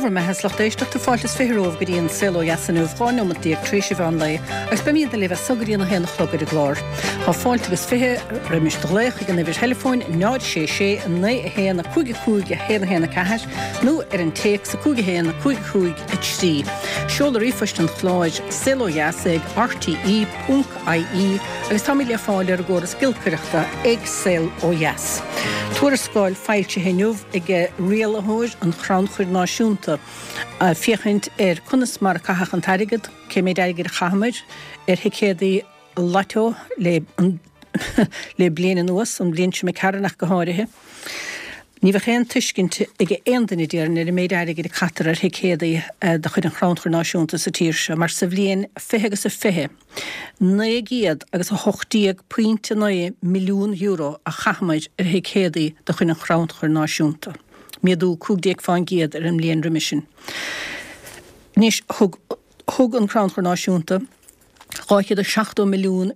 bhur mbeatha is lucht éisteachta, fáilte is 20 romhaibh go dtí an Saol Ó Dheas inniu, 12 neomat tar éis an mheán lae, agus beimidne libh as so go dtí an 1 a chlog ar an gclár. Tá fáilte agus 20 roimis do ghlaoch ag an uimhir theileafóin 0 6 6 9 1 5 5 1 1 4 nó ar an téacs 5 1 5 5 3. Seoladh ríomhphoist an chláir, saolodheas ag rte. ie agus táimid le fáil ar an gcóras giolcaireachta ag Saol Ó Dheas. Tuarascáil foilsithe inniu ag rialaitheoir an Chrannchuir Náisiúnta féachaint ar conas mar a caitheadh an t-airgead, cé méid airgid a chaitheamar ar thicéadaí Lotto le le bliain anuas, an bhliain seo imigh tharainn ach go háirithe. Ní bheadh aon tuiscint ag aon duine déarfainn ar an méid airgid a caitear ar thicéadaí de chuid an Chrannchuir Náisiúnta sa tír seo mar sa bhliain 20 agus a 20, €918.9 milliún a chaitheamar ar thicéadaí de chuid an Chrannchuir Náisiúnta, méadú 15% ar an mbliain roimhe sin. Anois, thug thug an Crannchur Náisiúnta €270 milliún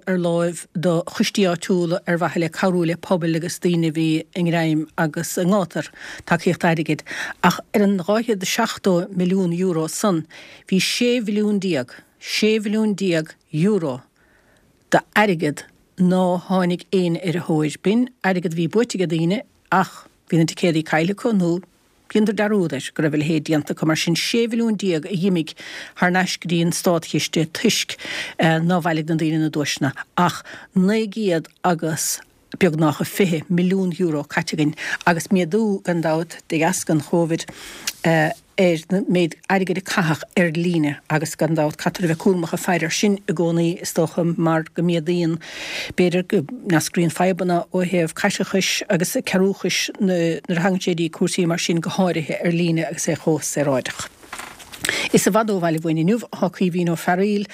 ar láimh do choistí áitiúla ar mhaithe le cabhrú le pobail agus daoine a bhí i ngreim agus i ngátar tacaíocht airgid. Ach ar an €270 milliún san, bhí 16 mhilliún, 16 mhilliún euro d'airgead ná tháinig éinne ar a thóir. B'in airgead a bhí buaite ag daoine ach bhí na ticéadaí caillte acu nó Dheineadar dearúd air go raibh a leithéid déanta acu, mar sin 16 mhilliún a dh'imigh thar n-ais go dtí an státchiste toisc ná bhailigh na daoine na duaiseanna, ach 900 agus beagnach €20 milliún caite againn, agus méadú, gan dabht, de dheasca an Chóivid, ar an méid airgid a caitheadh ar líne, agus gan dabht caithfear a bheith cúramach ag faire air sin i gcónaí, is dócha, mar go méadaíonn. B'fhéidir go n-eascraíonn fadhbanna ó thaobh caiteachais agus cearúchais nuair a thagann sé dtí cúrsaí mar sin, go háirithe ar líne agus é chomh saoráideach. Is i bhfad ó bhaile uainn inniu atá Caoimhín Ó Fearaíl,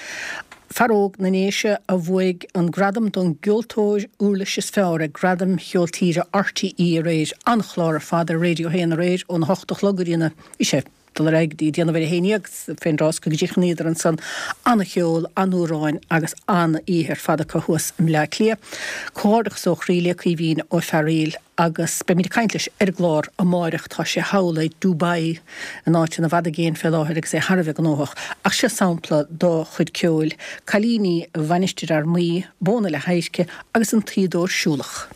fear óg na nDéise a bhuaigh an gradam don gceoltóir uirlis is fearr ag Gradaim Cheol Tíre RTÉ aréir. An-chlár ar fad ar Radio 1 aréir óna hocht a chlog go dtí na, bhí sé dul ar aghaidh go dtí déanamh ar a 11 fén dtráth is go gcríochnaíodar ansan. An-cheol, an-amhráin agus an-oíche ar fad acu thuas i mBleá Cliath. Comhghairdeachas ó chroí le Caoimhín Ó Fearaíl agus beimid ag caint leis ar an gclár amáireach. Tá sé thall i Dubai, in áiteanna i bhfad i gcéin fé láthair agus é thar a bheith gnóthach. Ach seo sampla dá chuid ceoil, Cailíní Mhainistir Fhear Maí, Bóna le hAdhairce agus An Tuíodóir Siúlach.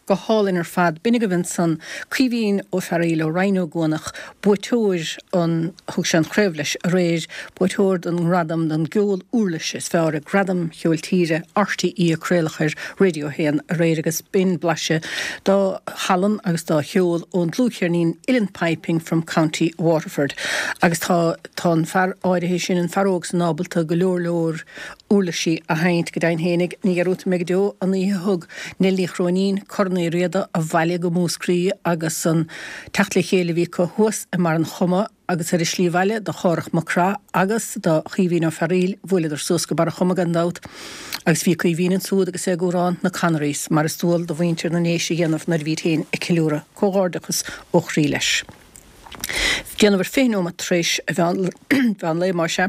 Go hálainn ar fad. B'in agaibh ansan Caoimhín Ó Fearaíl ó Rinn Ó gCuanach, buaiteoir an, thug sé an chraobh leis aréir, buaiteoir don ngradam don gceol uirlise is fearr ag Gradaim Cheoil Tíre RTÉ a craoladh ar Radio 1 aréir agus b'in blaiseadh dá thallann agus dá cheol ón dlúthcheirnín Uilleann Piping from County Waterford. Agus tá, tá an fear áirithe sin, an fear óg san ábalta go leor leor uirlisí a sheinnt, go deimhin fhéinig. Ní dhearúdfaidh mé go deo an oíche a thug Neil Ní Chróinín Corn Uí Riada abhaile go Múscraí agus an teacht le chéile a bhí acu thuas i mBarr an Choma agus ar a slí abhaile do Chárthach Mac Craith agus do Chaoimhín Ó Fearaíl, bhuaileadar suas go Barr an Choma gan dabht agus bhí Caoimhín ansúd agus é ag amhrán na Connerys mar is dual do mhuintir na nDéise a dhéanamh nuair a bhíd féin ag ceiliúradh. Comhghairdeachas ó chroí leis. Déanamh ar 20 nóimeat tar éis a mheán lae, más ea.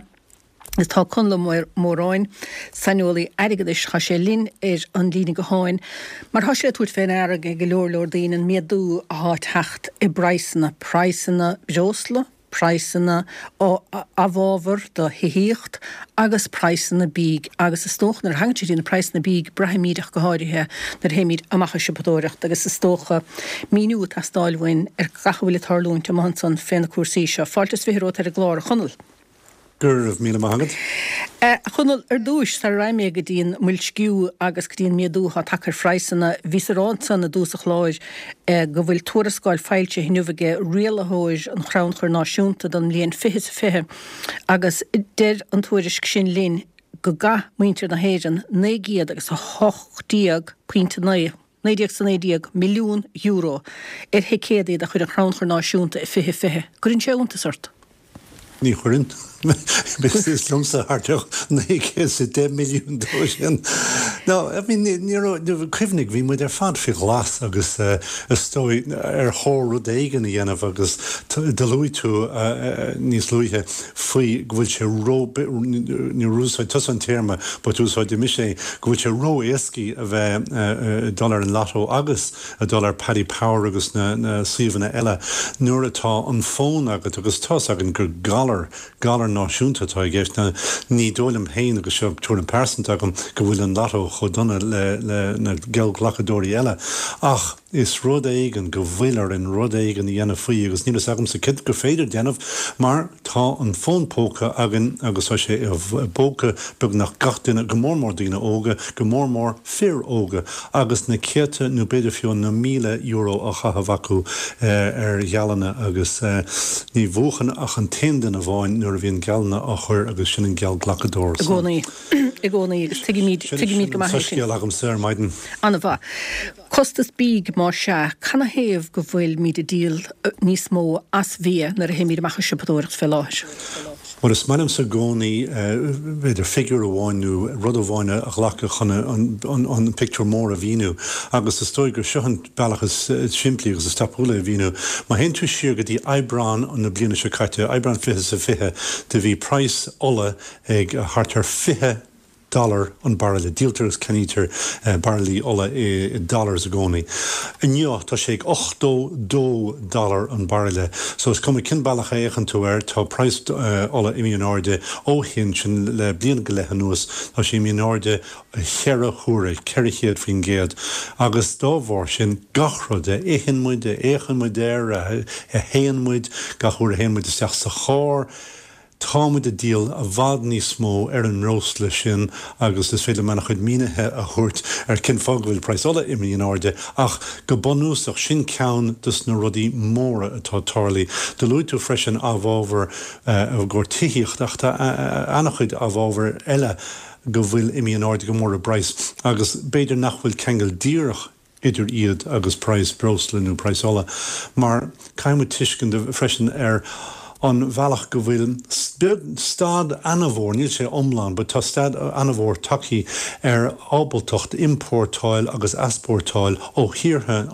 Is tá Conall Ó Móráin, saineolaí airgeadais, tá sé linn ar an líne gutháin mar tá sé le tabhairt fé ndeara ag go leor leor daoine an méadú athá teacht i bpraghsanna, praghsanna breosla, praghsanna amhábhar do thithíocht agus praghsanna bídh agus is dócha nuair a thagann sé dtí na praghsanna bídh braithimíd ach go háirithe nuair a théimíd amach ag siopadóireacht agus is dócha míniú ag teastáil uainn ar gach a bhfuil ag tarlúint amuigh ansan fé na cúrsaí seo. Fáilte is 20 romhat ar an gclár, a Chonaill. Go raibh míle maith agat. A Chonaill, ar dtúis, sara raghaidh mé go dtí an mboilsciú agus go dtí an méadú atá tagtha ar phraghsanna, bhíos ag rá ansan i dtús an chláir go bhfuil tuarascáil foilsithe inniu aige rialaitheoir an Chrannchuir Náisiúnta don mbliain 2020 agus deir an tuairisc sin linn go gcaith muintir na hÉireann 918.9 €119 milliún ar thicéadaí de chuid an Chrannchuir Náisiúnta i 2020. Gcuireann sé iontas ort? Ní chuireann. Is liomsa thart ar 910 milliún dó sin. No, I mean, ní raibh, cuimhnigh, bhí muid ar fad faoi ghlas agus is dóigh ar chóir rud éigin a dhéanamh agus do luaigh tú níos luaithe faoi go bhfuil sé ró, níor úsáid tusa an téarma but úsáidfidh mise é, go bhfuil sé ró-éascaí a bheith ag dul ar an lotto agus ag dul ar Paddy Power agus na suíomhanna eile nuair atá an fón agat agus tá's againn gur galar, galar náisiúnta atá i gceist. Now ní dóigh liom féin, agus seo tuairim pearsanta agam, go bhfuil an lotto chomh dona le na geallghlacadóirí eile ach, Is rud éigin go bhfuil orainn rud éigin a dhéanamh faoi agus níl fhios agamsa céard gur féidir déanamh mar tá an fón póca againn agus tá sé i bpóca beagnach gach duine, go mór mór daoine óga, go mór mór fir óga agus na céadta nó b'fhéidir fiú na míle euro á chaitheamh acu ar gheallanna agus ní bhuachann ach an t-aon duine amháin nuair a bhíonn geallanna á chur agus sin an geallghlacadóir. I gcónaí. I gcónaí agus tuigimid, tuigimid go maith é sin. Sin an soiscéal agamsa ar maidin. An-mhaith. Costas bídh, más ea, canathaobh go bhfuilimid ag díol níos mó as bhia nuair a théimid amach ag siopadóireacht fé láthair? Bhuel, is maith liomsa i gcónaí, b'fhéidir, figiúr amháin nó rud amháin a ghlacadh chun an pictiúr mór a mhíniú agus is dóigh gur seo an bealach is simplí agus is tapúla é a mhíniú. Má théann tú siar go dtí Aibreán na bliana seo caite, Aibreán 2020, do bhí praghas ola ag thart ar 20 dollar an bairille. Díoltar agus ceannaítear bairillí ola i dollars i gcónaí. Inniu tá sé ag 82 dollar an bairille. So is cuma cén bealach a fhéachann tú air, tá praghas ola imithe in airde ó shin, sin le bliain go leith anuas, tá sé imithe in airde cheithre huaire, 400%. Agus dá bharr sin, gach rud a itheann muid, a fhéachann muid air, a théann muid, gach uair a théann muid isteach sa charr, Tá muid ag díol i bhfad níos mó ar an mbreosla sin agus is féidir liom an-chuid mínithe a thabhairt ar cén fáth go bhfuil praghas ola imithe in airde ach go bunúsach sin ceann dos na rudaí móra atá tarlaithe. Do luaigh tú freisin amhábhair i gcomhair tithíocht ach tá an-chuid amhábhair eile go bhfuil imithe in airde go mór i bpraghas agus b'fhéidir nach bhfuil ceangal díreach idir iad agus praghas breosla nó praghas ola, mar caithfidh muid tuiscint freisin ar an bhealach go bhfuil stad ana-mhór, níl sé iomlán, but tá stad ana-mhór tagthaí ar ábaltacht iompórtáil agus easpórtáil ó thíortha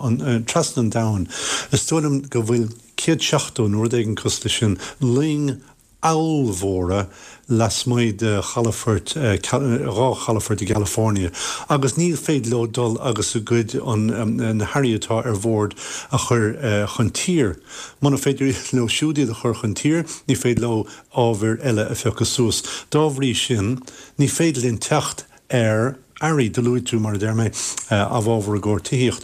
trasna an domhain. Is dóigh liom go bhfuil 170 nó rud éigin cosúil leis sin loing ollmhóra lasmuigh de chalafoirt, dhá chalafort i gCalifornia, agus ní féidir leo dul agus a gcuid, na hearraí atá ar bhord a chur chun tír. Muna féidir leo siúd iad a chur chun tír, ní féidir leo ábhair eile a phiocadh suas. Dá bhrí sin, ní féidir linn teacht ar earraí. Do luaigh tú, mar a deir mé, amhábhar i gcomhair tithíocht.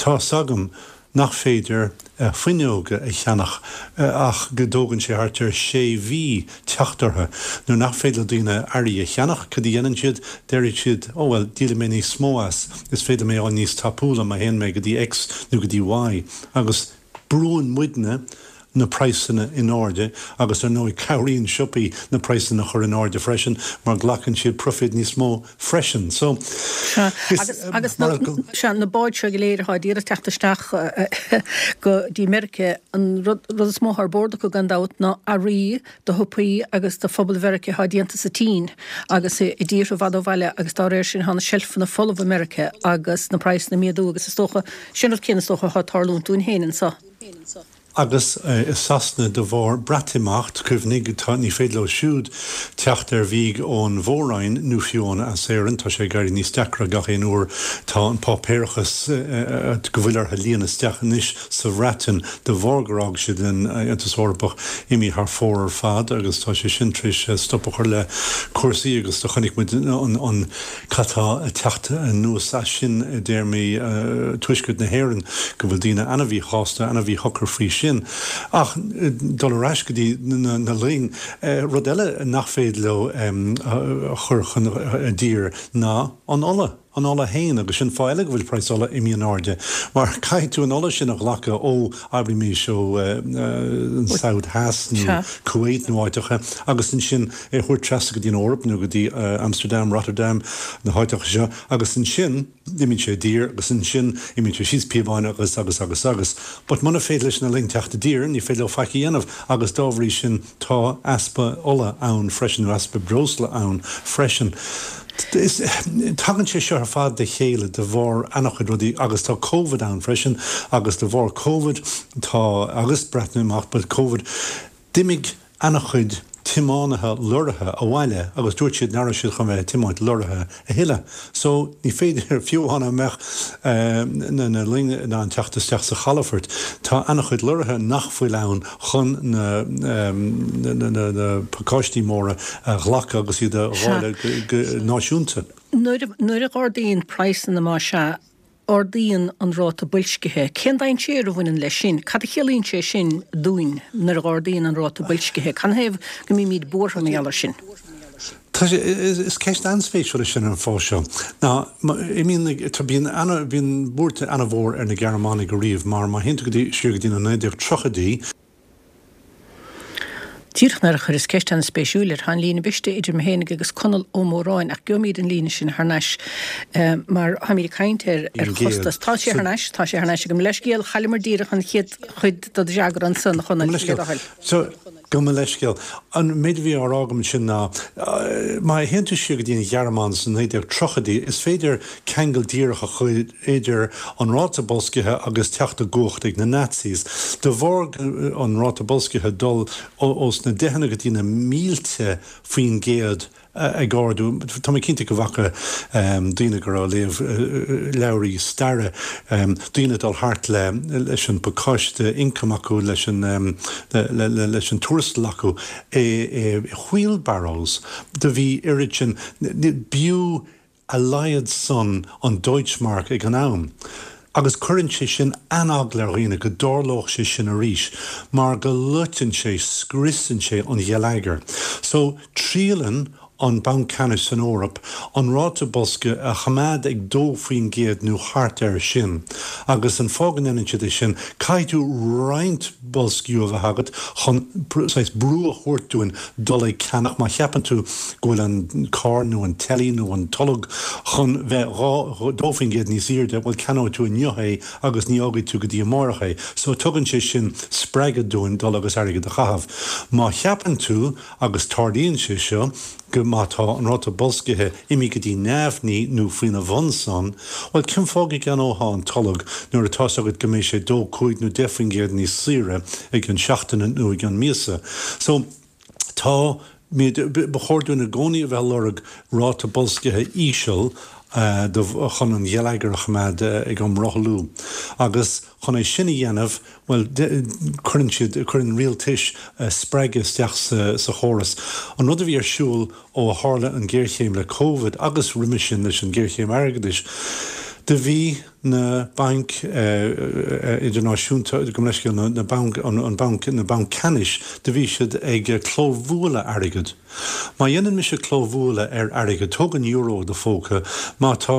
Tá 'fhios agam nach féidir fuinneoga a cheannach ach go dtógann sé thart ar sé mhí teacht orthu. Nuair nach féidir le daoine earraí a cheannach, cad a dhéanann siad? Déarfaidh siad, 'Ó bhuel, díolfaidh mé níos mó as, is féidir liom é a fháil níos tapúla má théann mé go dtí X nó go dtí Y. Agus brúann muidne na praghsanna in airde agus ar ndóigh cabhraíonn siopaí na praghsanna a chur in airde freisin mar glacann siad proifid níos mó freisin. So, Sea, agus, agus na, sea, na báid seo go léir atá d'iarraidh teacht isteach go dtí Meiriceá, an rud, rud is mó atá ar bord acu gan dabht ná earraí do shiopaí agus do phobal Mheiriceá atá déanta sa tSín agus i dtíortha i bhfad ó bhaile agus dá réir sin tá na seilfeanna folamh i Meiriceá agus na praghsanna ag méadú agus is dócha, sin rud céanna is dócha atá ag tarlúint dúinn féin anso. Agus i Sasana de bharr Breatimeacht, cuimhnigh, tá, ní féidir leo siúd teacht ar bhiaidh ón Mhór-Roinn nó fiú amháin as Éirinn, tá sé ag éirí níos deacra gach aon uair, tá an páipéarachas go bhfuil orthu líonadh isteach anois sa Bhreatain de bharr gur fhág siad an Aontas Eorpach imithe thar fóir ar fad agus tá sé sin tar éis stop a chur le cúrsaí agus do chonaic muid an Cad tá ag teacht anuas as sin i dtéarmaí Tuaisceart na hÉireann, go bhfuil daoine ana-mhíshásta, ana-mhíshocair faoi sin. Ach dul ar ais go dtí na loing, rud eile nach féidir leo a chur chun i dtír ná an ola, an ola fhéin, agus sin fáth eile go bhfuil praghas ola imithe in airde, mar caithfidh tú an ola sin a ghlacadh ó, abraimis, ó an Saud Theas nó Kuwait nó áiteacha agus ansin é a thabhairt trasna go dtí an Eoraip nó go dtí Amsterdam, Rotterdam, na háiteacha seo agus ansin imíonn sé i dtír agus ansin imíonn sé síos píobáin agus agus agus agus. But muna féidir leis na loing teacht i dtír ní féidir leo faic a dhéanamh agus dá bhrí sin tá easpa ola ann freisin nó easpa breosla ann freisin. Is, tagann sé seo ar fad le chéile de bharr ana-chuid rudaí agus tá Covid ann freisin agus de bharr Covid tá, agus Breatimeacht but Covid, D'imigh ana-chuid tiománaithe lorraithe abhaile agus dúirt siad nach raibh siad chun bheith ag tiomáint lorraithe a thuilleadh. So, ní féidir, fiú amháin dá mbeadh na loing in ann teacht isteach sa chalafort, tá ana-chuid lorraithe nach bhfuil ann chun na pacáistí móra a ghlacadh agus iad a dháileadh go náisiúnta. Nuair a ardaíonn praghsanna, más ea, ardaíonn an ráta boilscithe. Cén dainséar a bhaineann leis sin? Cad a chiallaíonn sé sin dúinn nuair a ardaíonn an ráta boilscithe? Canathaobh go mbímid buartha mar gheall air sin? Tá sé, is ceist an-spéisiúil é sin ar an fáth seo. Ná, imíonn na, tá, bíonn ana, bíonn buairt ana-mhór ar na Gearmánaigh ariamh mar má théann tú go dtí, siar go dtí na 1930idí, Díreach nuair a chuireas ceist an-spéisiúil air, tá an líne briste idir mé fhéinig agus Conall Ó Móráin ach gheobhaimid an líne sin thar n-ais mar táimid ag caint ar ar chostas. Tá sé thar n-ais, tá sé thar n-ais agam. Leithscéal, chailleamar díreach an chéad chuid de do fhreagra ansan, a Chonaill, le do thoil. So, gabh mo leithscéal. An méid a bhí á rá agam ansin ná, má théann tú siar go dtí an Ghearmáin sna 1930idí, is féidir ceangal díreach a chur idir an ráta boilscithe agus teacht i gcumhacht ag na Nazis. De bharr an ráta boilscithe dul ós na deicheanna go dtí na mílte faoin gcéad ag ardú, tá mé cinnte go bhfaca daoine go raibh ag léamh leabhraí staire, daoine ag dul thart le leis an bpacáiste ioncaim acu, leis an leis an tuarastal acu i wheelbarrows. Do bhí oiread sin, b'fhiú a laghad san an Deutschmark ag an am, agus cuireann sé sin an-eagla ar dhaoine go dtarlódh sé sin arís, mar go loiteann sé, scriosann sé an gheilleagar. So, triaileann an Banc Ceannais san Eoraip an ráta boilscithe a choimeád ag 2% nó thart air sin, agus an fáth go ndéanann siad é sin, caithfidh tú roinnt boilsciú a bheith agat chun saghas brú a thabhairt dúinn dul ag ceannach. Má cheapann tú go bhfuil an carr nó an teilí nó an tolg chun bheith 2% níos airde, bhuel ceannóidh tú inniu é agus ní fhágfaidh tú go dtí amárach é. So tugann sé sin spreagadh dúinn dul agus airgead a chaitheamh. Má cheapann tú, agus tarlaíonn sé seo, go má tá an ráta boilscithe imithe go dtí neamhní nó faoina bhun san, bhuel, cén fáth go gceannófá an tolg nuair atá 's agat go mbeidh sé dó, cúig nó 10% níos saoire i gcionn seachtaine nó i gcionn míosa. So, tá, ba chóir dúinn i gcónaí a bheith ag lorg ráta boilscithe íseal do, chun an gheilleagar a choimeád ag iomrothlú. Agus chun é sin a dhéanamh, Bhuel, cuireann siad, cuireann rialtais spreagadh isteach sa chóras. An rud a bhí ar siúl ó a tharla an ghéarchéim le Covid agus roimhe sin leis an ghéarchéim airgeadais, Do bhí na bainc idirnáisiúnta, gabh mo leithscéal, na banc, an banc, na bainc ceannais, do bhí siad ag clóbhualadh airgid. Má dhéanann mise clóbhualadh ar airgead, tóg an euro i do phóca, má tá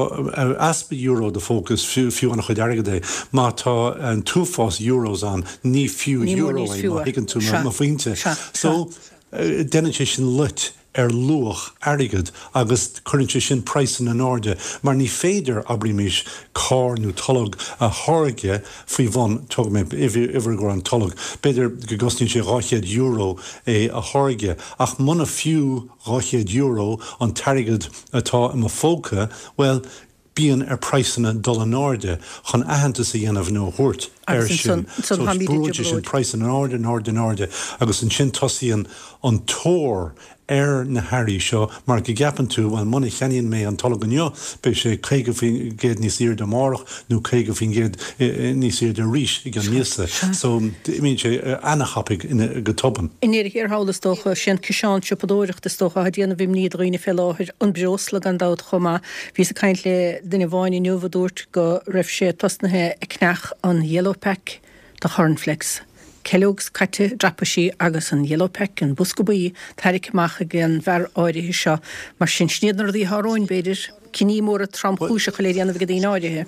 easpa euro i do phóca is fiú an-chuid airgid é, má tá an t-uafás euros ann ní fiú euro é, má thuigeann tú mo phointe. So, déanann sé sin loit ar luach airgid agus cuireann sé sin praghsanna in airde mar ní féidir, abraímis, carr nó tolg a tháirgeadh faoi bhun, tógfaidh mé uimhir i gcomhair an tolg, b'fhéidir go gcosnaíonn sé €200 é a tháirgeadh ach muna fiú €200 an t-airgead atá i mo phóca, bhuel, bíonn ar praghsanna dul in airde chun aitheantas a dhéanamh nó a thabhairt air sin. So brúann sé sin praghsanna in airde, in airde, in airde agus ansin tosaíonn an tóir ar na hearraí seo mar go gceapann tú, bhuel, muna cheannaíonn mé an tolg inniu, beidh sé 50% níos airde amárach nó 50% níos airde arís i gceann míosa. So imíonn sé ana-thapaidh go tobann. I ndeireadh thiar thall, is dócha, sé an ciseán siopadóireachta is dócha atá ag déanamh imní do dhaoine fé láthair, an breosla gan dabht chomh maith. Bhíos ag caint le duine amháin inniu a dúirt go raibh sé tosnaithe ag ceannach an yellow pack de chornflakes. Kellogg's caite dreapaithe agus an yellow pack, an bosca buí, tarraicthe amach ag an bhfear áirithe seo. Mar sin, sin iad na rudaí atá romhainn, b'fhéidir. Cinní móra tromchúiseacha le déanamh ag daoine áirithe.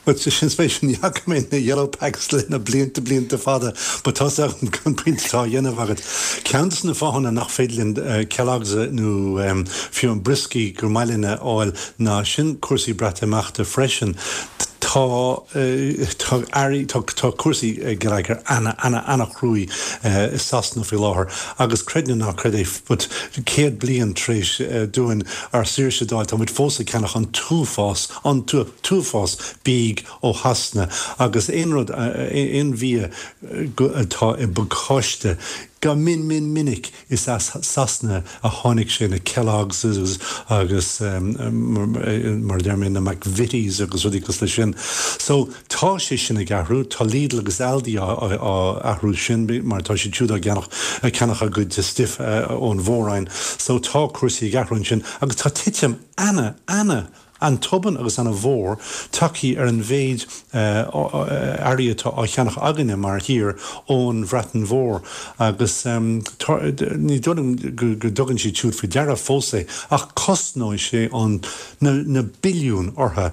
Bhuel, sin spéisiúil, ní fhaca mé na yellow packs le na blianta, blianta fada, but tá's agam an pointe atá á dhéanamh agat. Ceann de na fáthanna nach féidir linn Kellogg's nó fiú an Brioscaí gur maith linn a fháil ná sin cúrsaí Breatimeachta freisin. Tá, tá earraí, tá, tá cúrsaí geilleagair ana, ana, ana-chruaidh i Sasana faoi láthair agus creid nó ná creid é, but 100 bliain tar éis dúinn ár saoirse d'fháil, tá muid fós ag ceannach an t-uafás, an t-uafás bídh ó Shasana agus aon rud, aon bhia atá i bpacáiste, go min min minic is as Sasana a tháinig sé, na Kellogg's agus mar a deir mé na McVitie's agus rudaí cosúil leis sin. So tá sé sin ag athrú, tá Lidl agus Aldi á athrú sin mar tá siad siúd á gceannach, ag ceannach a gcuid stuif ón Mhór-Roinn. So tá cúrsaí ag athrú ansin agus tá titim ana, ana an-tobann agus ana-mhór tagthaí ar an mhéid earraí atá á cheannach againne mar thír ón Bhreatain Mhór agus ní dóigh liom go dtugann siad siúd faoi deara fós é ach cosnóidh sé an na billiúin orthu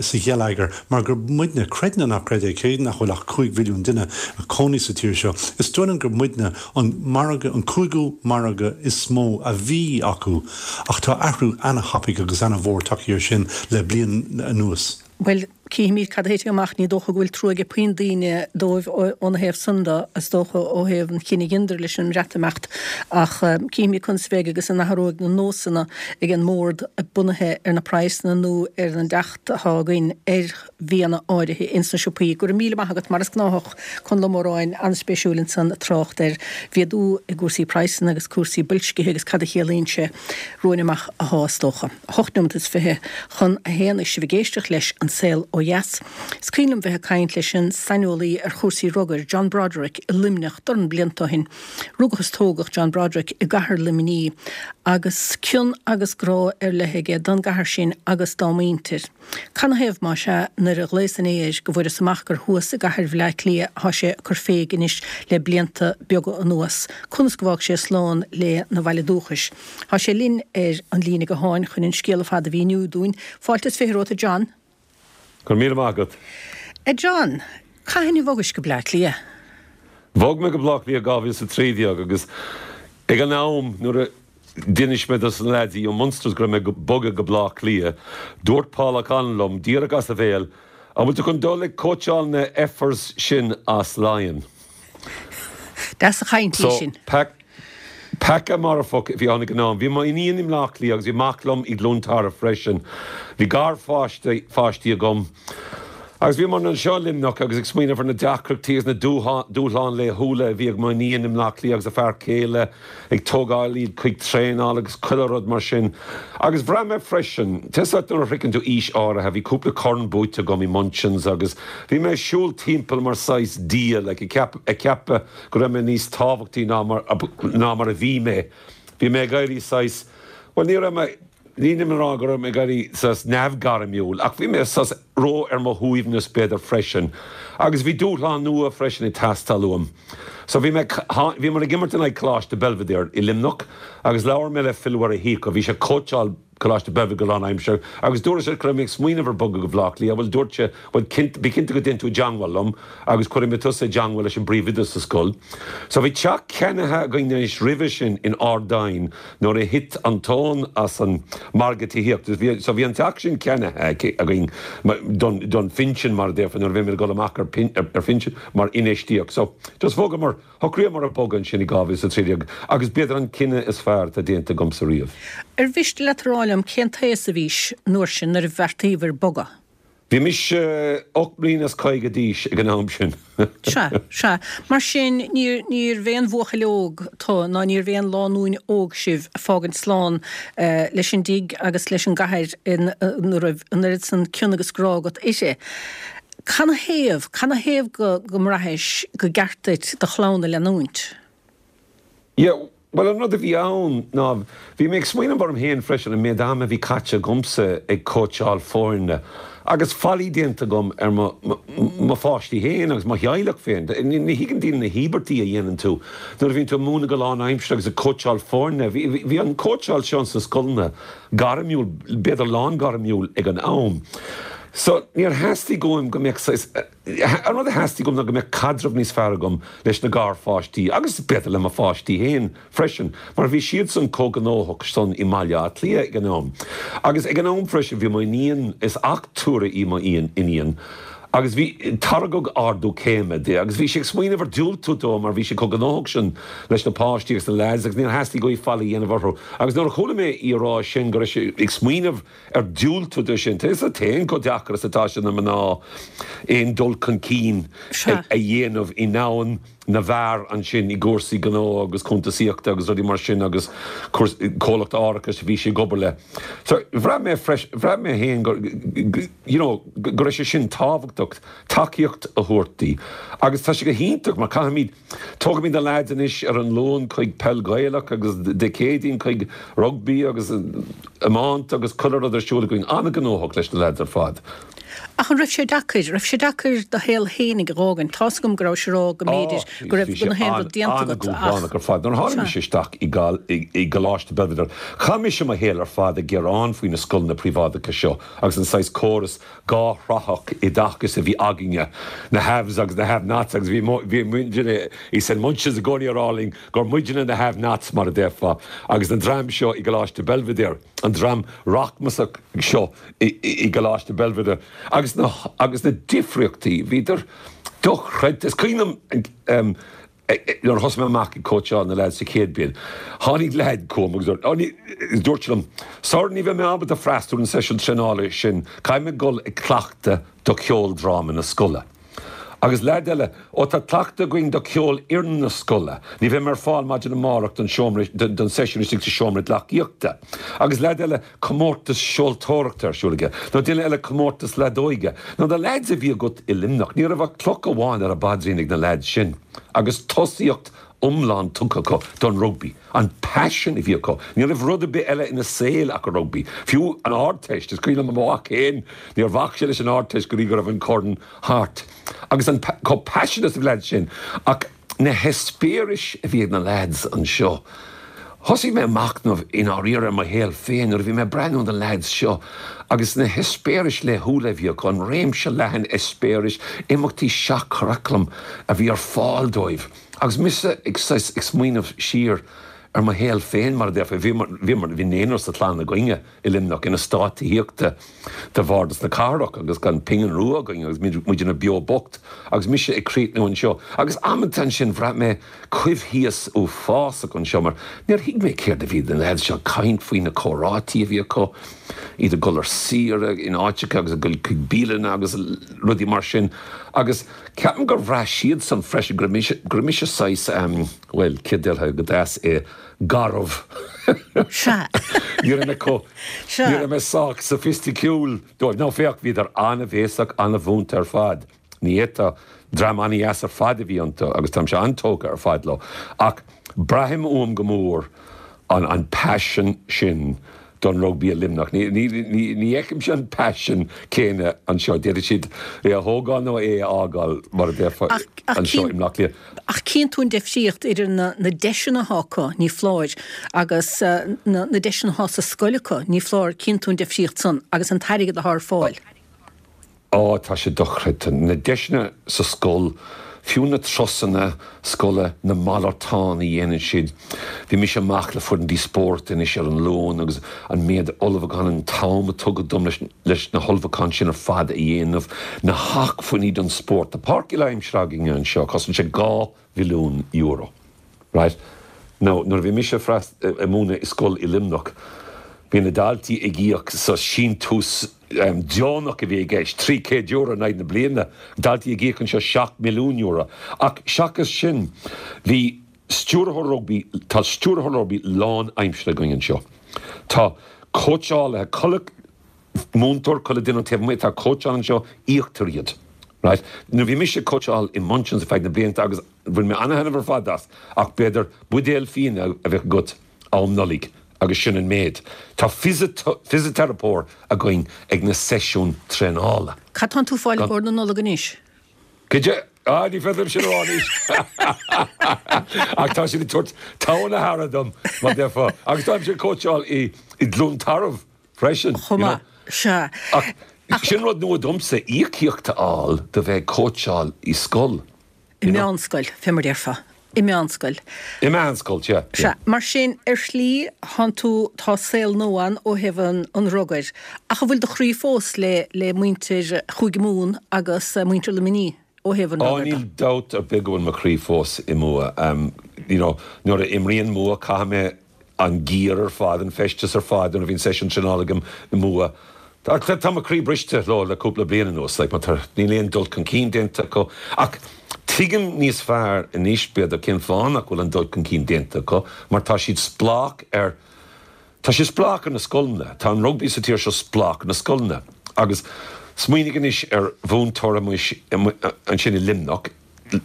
sa gheilleagar mar gur muidne, creid nó ná creid é, cé nach bhfuil ach 5 mhilliún duine ag cónaí sa tír seo, is dóigh liom gur muidne an margadh, an cúigiú margadh is mó a bhí acu. Ach tá athrú ana-thapaidh agus ana-mhór tagthaí air sin le bliain anuas. Bhuel, cífimid cad a thitfidh amach. Ní dócha go bhfuil trua ag puinn daoine dóibh óna thaobh san de, is dócha, ó thaobh an chinnidh a dheineadar leis an mBreatimeacht. Ach cífimid conas a bheidh agus an athróidh na nósanna ag an mbord bunaithe ar na praghsanna nó ar an dteacht atá againn ar bhianna áirithe ins na siopaí. Go raibh míle maith agat, mar is gnáthach, Conall Ó Móráin, an-spéisiúil ansan ag trácht ar mhéadú i gcúrsaí praghsanna agus cúrsaí boilscithe agus cad a chiallaíonn sé romhainn amach athá is dócha. Hocht neomat is 21 agus sibh ag éisteacht leis An Saol Ó Dheas. Is cuimhin liom bheith ag caint leis an saineolaí ar chúrsaí rugair, John Broderick, i Luimneach dorn blianta ó shin. Rugadh is tógadh John Broderick i gcathair Luimnigh agus cion agus grá ar leith aige don gcathair sin agus dá muintir. Canathaobh, más ea, nuair a ghlaos inné air, go bhfuaireas amach gur thuas i gcathair Bhleá Cliath athá sé ag cur féig anois le blianta beaga anuas, conas go bhfág sé slán le na bhaile dúchais? Thá sé linn ar an líne gutháin chun an scéal ar fad a mhíniú dúinn. Fáilte is 20 romhat, a John. Go raibh míle maith agat. A John, cathain a bhogais go Bleá Cliath? Bhog mé go Bleá Cliath 2013 agus ag an am nuair a D'inis mé dos na leaids ó Munsters go raibh mé ag bogadh go Bleá Cliath. Dúirt Paul O'Connell liom, díreach as a bhéal, An bhfuil tú chun dul ag cóitseáil na effers sin as Laighin? Deas an chaint í sin. So, peaca marfach a bhí ann ag an am. Bhí m'iníon i mBleá Cliath agus bhí mac liom i gCluain Tarbh freisin. Bhí garpháistí agam. Agus bhíomar anseo i Luimneach agus ag smaoineamh ar na deacrachtaí agus na dúshláin laethúla a bhí ag m'iníon i mBleá Cliath agus a fear céile ag tógáil iad chuig traenáil agus chuile rud mar sin. Agus bhraith mé freisin, tá 'fhios agat nuair a shroicheann tú aois áirithe, bhí cúpla corn buaite agam i Munchins agus bhí mé ag siúl timpeall mar saghas dia, like, ag ceapadh go raibh mé níos tábhachtaí ná mar a bhí mé. Bhí mé ag éirí saghas, bhuel ní raibh mé. Nílim ag rá go raibh mé ag éirí saghas neamhghairmiúil ach bhí mé saghas ró ar mo shuaimhneas b'fhéidir freisin agus bhí dúshlán nua freisin ag teastáil uaim. So bhí mé, bhíomar ag imirt in aghaidh Coláiste Belvedere i Luimneach agus labhair mé le Phil Mhuire Shíoca, bhí sé ag cóitseáil Coláiste Belvedere go lánaimseartha agus dúras leis go raibh mé ag smaoineamh ar bogadh go Bhaile Átha Cliath, bhuel dúirt sé, bhuel cinnte, bí cinnte go dtéann tú i dteangmháil liom agus cuirfidh mé tusa i dteangmháil leis an bpríomhoide sa scoil. So bhí teach ceannaithe againn anois roimhe sin in Ard Aidhin nuair a thit an tóin as an margadh tithíochta. Bhí, so bhí an teach sin ceannaithe againn don, don phinsean mar a déarfá nuair a bhí mé ag dul amach ar, ar phinsean mar infheistíocht. So just bhogamar. Shocraíomar ag bogadh ansin i 2013 agus b'fhéidir an cinneadh is fearr atá déanta agamsa riamh. Ar mhiste leat a rá liom cén t-aos a bhís an uair sin nuair a bheartaíobhair bogadh? Bhí mise 48 mbliana d'aois ag an am sin. Sea, sea. Mar sin, níor, níorbh aon bhuachaill óg tu ná níorbh aon lánúin óg sibh ag fágaint slán leis an dtigh agus leis an gcathair ina raibh an oiread san cion agus grá agat uirthi. Canathaobh, canathaobh go, go mbraithis go gceart duit do chlann a leanúint? Yeah, bhuel an rud a bhí ann ná, bhí mé ag smaoineamh orm féin freisin, an méid ama a bhí caite agamsa ag cóitseáil foirne agus faillí déanta agam ar mo, mo pháistí féin agus mo theaghlach féin. Ní thuigeann daoine na híobairtí a dhéanann tú nuair a bhíonn tú ag múineadh go lánaimseartha agus ag cóitseáil foirne. Bhí, bhí an cóitseáil seo sna scoileanna gairmiúil, b'fhéidir lán-ghairmiúil ag an am. So, níor theastaigh uaim go mbeadh saghas, an rud a theastaigh uaim ná go mbeadh caidreamh níos fearr agam leis na garpháistí agus b'fhéidir le mo pháistí féin freisin, mar bhí siadsan chomh gnóthach san i mBaile Átha Cliath ag an am. Agus ag an am freisin bhí m'iníon, is achtúire í m'iníon, agus bhí, tairgeadh ardú céime di agus bhí sí ag smaoineamh ar diúltú dó mar bhí sí chomh gnóthach sin leis na páistí agus na leaids agus níor theastaigh uaithi faillí a dhéanamh orthu. Agus nuair a chuala mé í a rá sin go raibh sí ag smaoineamh ar diúltú dó sin, tá a fhios agat féin chomh deacair is atá sé do na mná aon dul chun cinn a dhéanamh i ndomhan na bhfear ansin i gcúrsaí gnó agus cuntasaíochta agus rudaí mar sin agus comhlacht árachais a bhí sí ag obair le. So bhraith mé freisin, bhraith mé féin go, you know, go raibh sé sin tábhachtach, tacaíocht a thabhairt di. Agus tá sé go hiontach mar caithfimid, tógaimid na leaids anois ar an Luan chuig peil Ghaelach agus Dé Céadaoin chuig rugbaí agus iomáint agus chuile rud ar siúl againn, an-ghnóthach leis na leaids ar fad. Ach an raibh sé deacair, raibh sé deacair do shaol fhéinig a dh'fhágaint? Tá's agam go rabhais a rá go mb'fhéidir go raibh go haon rud déanta agat ach. An-dúshlánach ar fad. Nuair a tháinig mise isteach i gColáiste Belvedere, chaith mise mo shaol ar fad ag gearán faoi na scoileanna príobháideacha seo agus an saghas córas dháthraitheach oideachais a bhí againne, na haves agus na have-nots agus bhí muidne i St Munchin's i gcónaí ag rá linn gur muidne na have-nots mar a déarfá agus an dream seo i gColáiste Belvedere, an dream rachmasach seo i gColáiste Belvedere agus na agus na difríochtaí, bhíodar dochreidte. Is cuimhin liom nuair a thosaigh mé amach ag cóitseáil na leaids sa chéad bhliain, tháinig leaid chugam agus dúirt sé liom, Sir, ní bheidh mé ábalta freastal ar an seisiún traenála sin, caithfidh mé dul ag cleachtadh do cheoldráma na scoile. Agus leaid eile, Ó tá cleachtadh againn do cheolfhoireann na scoile. Ní bheidh mé ar fáil maidin amárach don seomra, don seisiún istigh sa seomra gleacaíochta. Agus leaid eile, comórtas seoltóireachta ar siúl aige. Nó duine eile comórtas leadóige. Nó na leaids a bhí agat i Luimneach, ní raibh ach cloch amháin ar a bpaidrín ag na leaids sin. Agus tosaíocht iomlán tugtha acu don rugbaí. An paisean a bhí acu. Ní raibh rud ar bith eile ina saol ach an rugbaí. Fiú an Ardteist, is cuimhin liom mo mhac féin, níor bhac sé leis an Ardteist go dtí go raibh an corn thart. Agus an, chomh paiseanta is a bhí na leaids sin. Ach na heispéiris a bhí ag na leaids anseo. Thosaigh mé ag machnamh i ndáiríre ar mo shaol féin nuair a bhí mé ag breathnú ar na leaids seo agus na heispéiris laethúla a bhí acu, an réimse leathan eispéiris, imeachtaí seach-churaclaim a bhí ar fáil dóibh. Agus mise ag saghas ag smaoineamh siar ar mo shaol féin, mar a déarfá, bhíomar, bhíomar, bhí naonúr sa chlann againne i Luimneach in eastát tithíochta de Bhardas na Cathrach agus gan pingin rua againn agus muidne beo bocht agus mise ag críochnú anseo. Agus amanta ansin bhraith mé coimhthíos uafásach anseo mar níor thuig mé céard a bhí na leaids seo ag caint faoi, na comhráití a bhí acu, iad ag dul ar saoire in áiteacha agus ag dul chuig bialanna agus rudaí mar sin agus Ceapaim gur bhraith siadsan freisin go raibh mise, go raibh mise saghas, bhuel, céard déarfá go deas é, garbh. Sea. Ní raibh mé chomh, Sea. ní raibh mé sách soifisticiúil dóibh. Now féach, bhíodar an-bhéasach, an-mhúinte ar fad. Ní fhéadfá, dream an-dheas ar fad a bhí iontu agus táimse an-tógtha ar fad leo. Ach braithim uaim go mór an, an paisean sin. don rugbaí i Luimneach. Ní fheicimse an paisean céanna anseo. D'fhéadfadh siad é a thógáil nó é a fhágáil, mar a déarfá, anseo i mBleá Cliath. Ach cíonn tú an difríocht idir na deiseanna atá acu, ní foláir, agus na deiseanna atá sa scoil acu, ní foláir, cíonn tú an difríocht san agus an t-airgead atá ar fáil. Á, tá sé dochreidte. Na deiseanna sa scoil, fiú na turasanna scoile, na malartáin a dhéanann siad. Bhí mise amach le foireann díospóireachta anois ar an Luan agus an méid ullmhúchán, an t-am a tugadh dom leis na hullmhúcháin sin ar fad a dhéanamh, na hacmhainní don spórt. Tá páirc uile-aimsire againne anseo, cosain sé €2 mhilliún. Right. Now, nuair a bhí mise ag múineadh i scoil i Luimneach, bhí na daltaí ag íoc sa síntiús deonach a bhí i gceist, €300 in aghaidh na bliana, daltaí ag íoc anseo €7 milliún. Ach seachas sin, bhí stiúrthóir rugbaí, tá stiúrthóir rugbaí lán-aimseartha againn anseo. Tá cóitseálaithe, chuile múinteoir, chuile duine an taobh amuigh atá ag cóitseáil anseo, íoctar iad. Right. Nuair a bhí mise ag cóitseáil i Munchin's ar feadh na blianta agus Bhain mé ana-thaitneamh ar fad as, ach b'fhéidir buidéal fíona a bheadh agat am Nollaig agus sin an méid. Tá fisiteiripeoir againn ag na seisiúin traenála. Cad tánn tú fáil i gcomhair na Nollag anois? Goidé? Ah, ní féidir liom sin a rá anois! Ach tá siad ag tabhairt togha na haire dom, mar déarfá. Agus táimse ag cóitseáil i gCluain Tarbh freisin. Chomh maith, sea. Ach sin rud nua domsa, íocaíocht a fháil do bheith ag cóitseáil i scoil. I meánscoil, fé mar déarfá. I meánscoil. I meánscoil, sea. Sea. Mar sin, ar shlí, thánn tú, tá saol nua ann ó thaobh an, an rugair. Ach an bhfuil do chroí fós le, le muintir Chúige Mumhan agus muintir Luimnigh ó thaobh an rugair de? Á, níl dabht ar bith go bhfuil mo chroí fós i Mumha. You know, nuair a imríonn Mumha, caithfidh mé an gear ar fad, an feisteas ar fad nuair a bhíonn seisiún traenála agam i Mumha. Tá mo chroí briste leo le cúpla bliain anuas, like, mar tá, níl aon dul chun cinn déanta acu. Ach tuigim níos fearr anois, b'fhéidir, cén fáth nach bhfuil an dul chun cinn déanta acu, mar tá siad spleách ar, tá siad spleách ar na scoileanna. Tá an rugbaí sa tír seo spleách ar na scoileanna. Agus smaoinigh anois ar mhúinteoir amuigh ansin i Luimneach,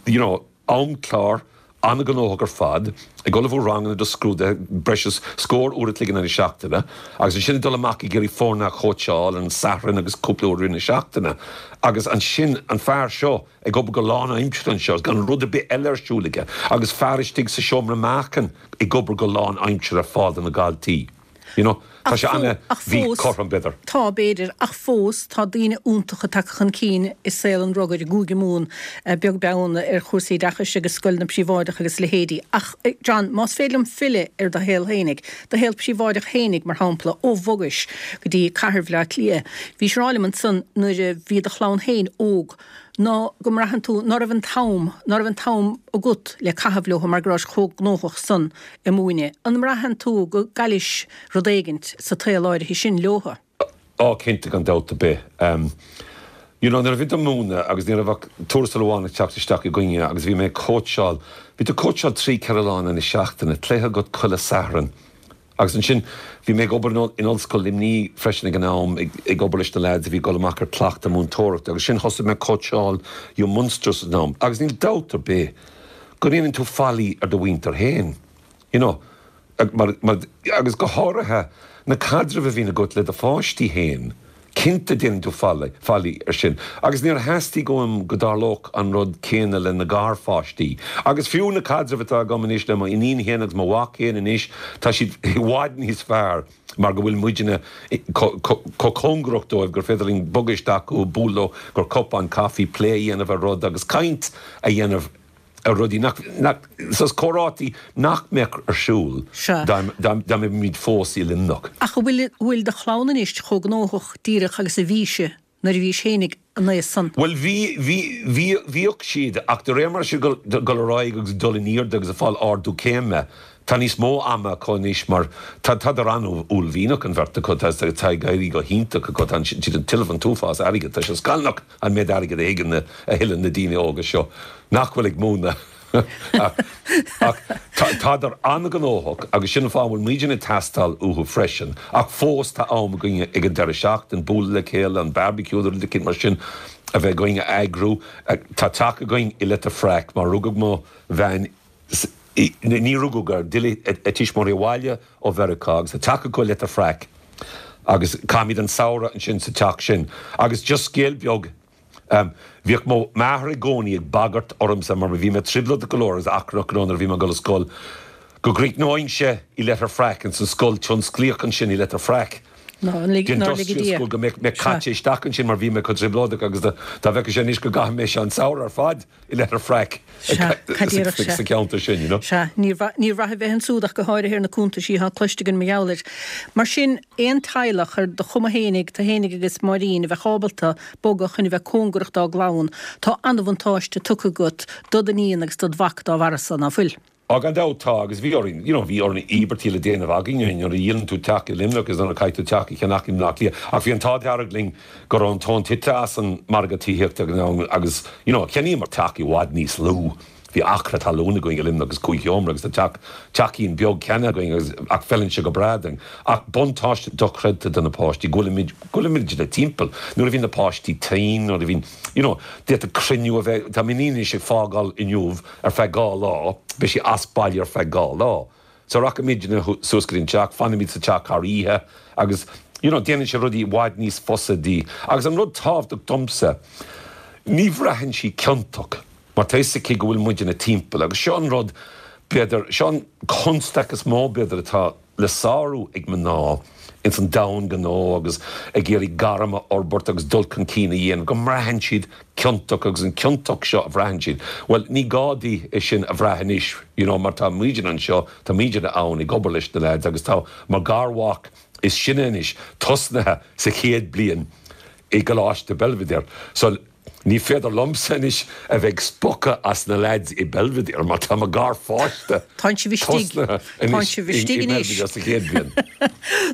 you know, amchlár an-ghnóthach ar fad, ag ullmhú ranganna do scrúduithe breis is scór uair a chloig in aghaidh na seachtaine, agus ansin ag dul amach ag iarraidh foirne a chóitseáil ar an Satharn agus cúpla uair i rith na seachtaine. Agus ansin an fear seo ag obair go lánaimseartha anseo agus gan rud ar bith eile ar siúl aige, agus fear istigh sa seomra meáchain ag obair go lánaimseartha ar fáil do na daltaí. You know, tá sé an-mhíchothrom, b'fhéidir. Tá, b'fhéidir, ach fós tá daoine iontacha tagtha chun cinn i saol an rugair i gCúige Mumhan, beag beann ar chúrsaí oideachais agus scoileanna príobháideacha agus a leithéidí. Ach, John, más féidir liom filleadh ar do shaol fhéinig, do shaol príobháideach fhéinig, mar shampla, ó bhogais go dtí cathair Bhaile Átha Cliath, bhís ag rá liom ansan nuair a bhí do chlann féin óg, ná go mbraitheann tú ná raibh an t-am, ná raibh an t-am agat le caitheamh leo mar go rabhais chomh gnóthach san ag múineadh. An mbraitheann tú go gcaillis rud éigint sa tsaol áirithe sin leotha? Á, cinnte, gan dabht ar bith. You know, nuair a bhí tú ag múineadh agus ní raibh ach tuarastal amháin ag teacht isteach againne agus bhí mé ag cóitseáil, bhí tú ag cóitseáil trí, ceithre lá in aghaidh na seachtaine, cluiche agat chuile Satharn. Agus ansin, bhí mé ag obair in Ollscoil Luimnigh freisin ag an am, ag obair leis na leaids a bhí ag dul amach ar cleachtadh múinteoireachta agus sin thosaigh mé ag cóitseáil i Munster san am. Agus níl dabht ar bith go ndéanann tú faillí ar do mhuintir féin, you know, mar, mar, agus go háirithe na caidrimh a bhíonn agat le do pháistí féin. Cinnte déanann tú faillí ar sin. Agus níor theastaigh uaim go dtarlódh an rud céanna le na garpháistí. Agus fiú na caidrimh atá agam anois le mo iníon féin agus mo mhac féin anois, tá siad i bhfad níos fearr mar go bhfuil muidne chomh cóngarach dóibh gur féidir linn bogadh isteach chucu, bualadh leo go cupán caife, plé a dhéanamh ar rud agus caint a dhéanamh ar rudaí nach, nach, saghas comhráití nach mbeadh ar siúl Sea. dá, dá, dá mbeimid fós i Luimneach. Ach an bhfuil, bhfuil do chlann anois chomh gnóthach díreach agus a bhí sí nuair a bhís fhéinig an aois san? Bhuel, bhí, bhí, bhí, bhíodh siad, ach de réir mar siad ag dul ar aghaidh agus ag dul in airde agus ag fáil ardú céime, tá níos mó ama acu anois mar tá, tádar an-uaillmhianach an bheirt acu, tá, tá ag éirí go hiontach acu, tá siad ag tuilleamh an t-uafás airgid, tá sé scannalach. an méid airgid a thuigeann na, a thuilleann na daoine óga seo nach bhfuil ag múineadh. Ach tádar an-ghnóthach agus sin an fáth a bhfuil muidne ag teastáil uathu freisin. Ach fós tá am againne ag an deireadh seachtaine bualadh le chéile, an barbecue nó rud eicínt mar sin a bheith againn a eagrú. Tá teach againn i Leitir Fraic mar rugadh mo bhean ní rugadh, d'fhill a tuismitheoirí abhaile ó Mheiriceá agus tá teach acu i Leitir Fraic. Agus caithimid an samhradh ansin sa teach sin. Agus just scéal beag, bhíodh mo m'athair i gcónaí ag bagairt ormsa mar bhí mé trioblóideach go leor agus achrannach go leor nuair a bhí mé ag dul ar scoil, go gcríochnóinnse i Leitir Fraic, ins an scoil tionsclaíoch ansin i Leitir Fraic, the industrial school, go mbeadh mé caite isteach ansin mar bhí mé chomh trioblóideach agus dá bhfeicfeadh sé anois go gcaithfidh mise an samhradh ar fad i Leitir Fraic sa cheantar sin, you know. Sea, níor mhaith a bheith ansúd ach go háirithe ar na cuntaisí atá cloiste againn mar gheall air. Mar sin, aon teaghlach ar do chuma fhéinig, tú fhéinig agus Máirín, a bheadh ábalta bogadh chun a bheith cóngarach dá gclann, tá an-bhuntáiste tugtha agat do d'iníon agus dod mhac dá bharra san, ná fuil? Á, gan dabht tá, agus bhí orainn, you know, bhí orainn íobairtí le déanamh againn nuair a dhíolann tú teach i Luimneach is nuair a chaithfidh tú teach a cheannach i mBleá Cliath. Ach bhí an t-ádh dearg linn go raibh an tóin tite as an margadh tithíochta ag an am agus, you know, cheannaíomar teach i bhfad níos lú. Bhí acra talún againn i Luimneach agus cúig sheomra agus tá teach, teachín beag ceannaithe againn agus, ach feileann sé go breá dúinn. Ach buntáiste dochreidte do na páistí go bhfuilimid, go bhfuilimid timpeall. Nuair a bhíonn na páistí tinn, nuair a bhíonn, you know, d'fhéadfadh cruinniú a bheith, tá m'iníon anois ag fágáil inniu, ar feadh 2 lá, beidh sí as baile ar feadh 2 lá. So rachaimidne suas go dtí an teach, fanfaimid sa teach thar oíche agus you know déanann sé rudaí i bhfad níos fusa di. Agus an rud tábhachtach domsa, ní bhraitheann sí ciontach mar tá fhios aici go bhfuil muidne timpeall agus seo an rud b'fhéidir, seo an constaic is mó b'fhéidir atá le sárú ag mná ins an domhan gnó agus ag iarraidh gairm a fhorbairt agus dul chun cinn a dhéanamh, go mbraitheann siad ciontach agus an ciontacht seo a bhraitheann siad, bhuel, ní gá di é sin a bhrath anois, you know, mar tá muidne anseo, tá muidne ann ag obair leis na leaids agus tá mo garmhac is sine anois tosnaithe sa chéad bliain i gColáiste Belvedere. So. Ní féidir liomsa anois a bheith ag spochadh as na leaids i Belvedere mar tá mo garpháiste tosnaithe anois i Belvedere sa chéad bhliain.